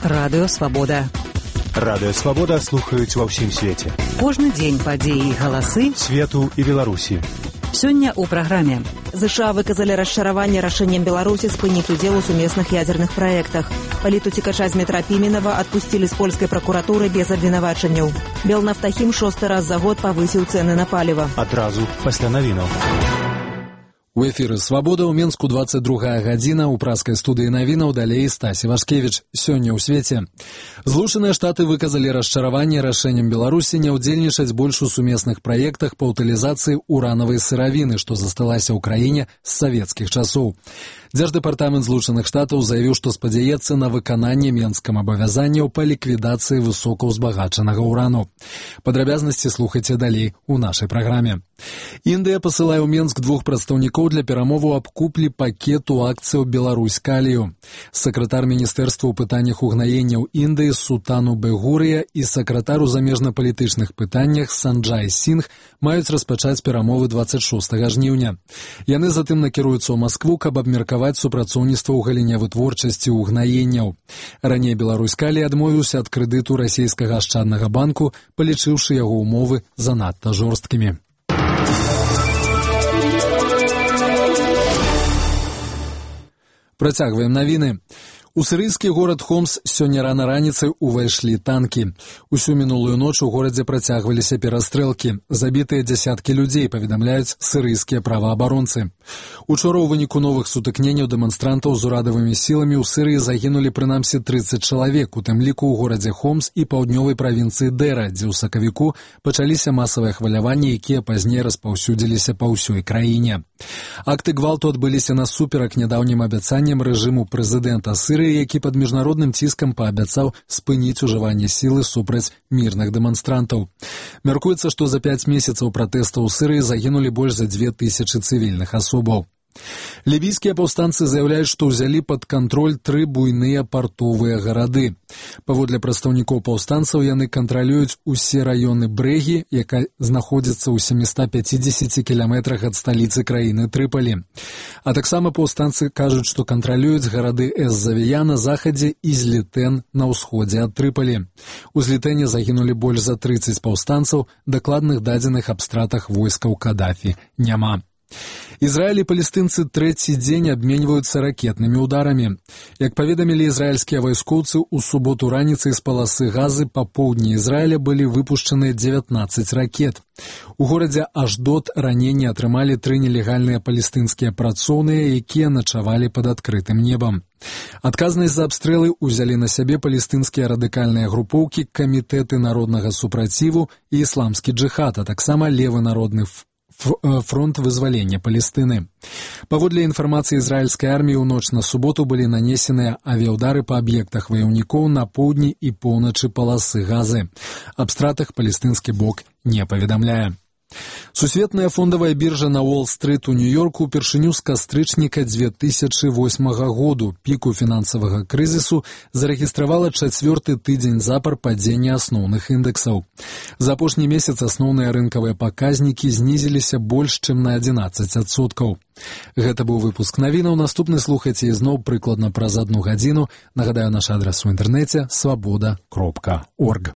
Радыё Свабода. Радыё Свабода слухаюць ва ўсім свеце. Кожны дзень падзеі і галасы свету і Беларусі. Сёння ў праграме. США выказалі расчараванне рашэннем Беларусі спыніць удзел у сумесных ядзерных праектах. Палітуцікача з метра Піменава адпусцілі з польскай пракуратуры без абвінавачанняў. Белнафтахім 6-й раз за год павысіў цэны на паліва. Адразу пасля навінаў. У эфіры «Свабода» ў Менску 22 гадзіна, у праскай студыі навінаў далей Стасі Вашкевіч. Сёння ў свеце. Злучаныя Штаты выказалі расчараванне рашэннем Беларусі не ўдзельнічаць больш у сумесных праектах па ўтылізацыі уранавай сыравіны, што засталася ў краіне з савецкіх часоў. Дзярждэпартамент Злучаных Штатаў заявіў, што спадзяецца на выкананне менскім абавязанняў па ліквідацыі высокаўзбагачанага урану. Падрабязнасці слухайце далей у нашай праграме. Індыя пасылае ў Менск 2 прадстаўнікоў для перамоваў аб куплі пакету акцыяў «Беларусь-Калію». Сакратар Міністэрства ў пытаннях угнаенняў Індыі Сутану Бегурыя і сакратар у замежнапалітычных пытаннях Санджай Сінг маюць распачаць перамовы 26 жніўня. Яны затым накіруюцца ў Маскву, каб абмеркаваць супрацоўніцтва ў галіне вытворчасці угнаенняў. Раней «Беларусь-Калій» адмовіўся ад крэдыту расійскага ашчаднага банку, палічыўшы яго ўмовы занадта жорсткімі. Працягваем навіны. У сірыйскі горад Хомс сёння рана раніцай увайшлі танкі. Усю мінулую ноч у горадзе працягваліся перастрэлкі. Забітыя дзясяткі людзей, паведамляюць сірыйскія праваабаронцы. Учора ў выніку новых сутыкненняў дэманстрантаў з урадавымі сіламі ў Сірыі загінулі прынамсі 30 чалавек, у тым ліку ў горадзе Хомс і паўднёвай правінцыі Дэра, дзе ў сакавіку пачаліся масавыя хваляванні, якія пазней распаўсюдзіліся па ўсёй краіне. Акты гвалту адбыліся насуперак нядаўнім абяцанням рэжыму прэзідэнта Сірыі, які пад міжнародным ціскам паабяцаў спыніць ужыванне сілы супраць мірных дэманстрантаў. Мяркуецца, што за 5 месяцаў пратэстаў у Сірыі загінулі больш за 2000 цывільных асобаў. Лівійскія паўстанцы заяўляюць, што ўзялі пад кантроль 3 буйныя партовыя гарады. Паводле прадстаўнікоў паўстанцаў, яны кантралююць усе раёны Брэгі, якая знаходзіцца ў 750 кіламетрах ад сталіцы краіны Трыпалі. А таксама паўстанцы кажуць, што кантралююць гарады Эз-Завія на захадзе і Злітэн на ўсходзе ад Трыпалі. У Злітэне загінулі больш за 30 паўстанцаў, дакладных дадзеных аб стратах войскаў Кадафі няма. Ізраіль і палестынцы трэці дзень абменьваюцца ракетнымі ударамі. Як паведамілі ізраільскія вайскоўцы, у суботу раніцай з паласы Газы па поўдні Ізраіля былі выпушчаныя 19 ракет. У горадзе Ашдод раненні атрымалі 3 нелегальныя палестынскія працоўныя, якія начавалі пад адкрытым небам. Адказнасць за абстрэлы ўзялі на сябе палестынскія радыкальныя групоўкі, камітэты народнага супраціву і ісламскі джыхад, а таксама левы народны фронт вызвалення Палестыны. Паводле інфармацыі ізраільскай арміі, у ноч на суботу былі нанесеныя авіяўдары па аб'ектах ваяўнікоў на поўдні і поўначы паласы Газы. Аб стратах палестынскі бок не паведамляе. Сусветная фондавая біржа на Уолл-стрыт у Нью-Йорку ўпершыню з кастрычніка 2008 году, піку фінансавага крызісу, зарэгістравала 4-й тыдзень запар падзення асноўных індэксаў. За апошні месяц асноўныя рынкавыя паказнікі знізіліся больш, чым на 11%. Гэта быў выпуск навінаў. Наступны слухайце ізноў прыкладна праз 1 гадзіну. Нагадаю, наш адрас у інтэрнэце свабода.орг.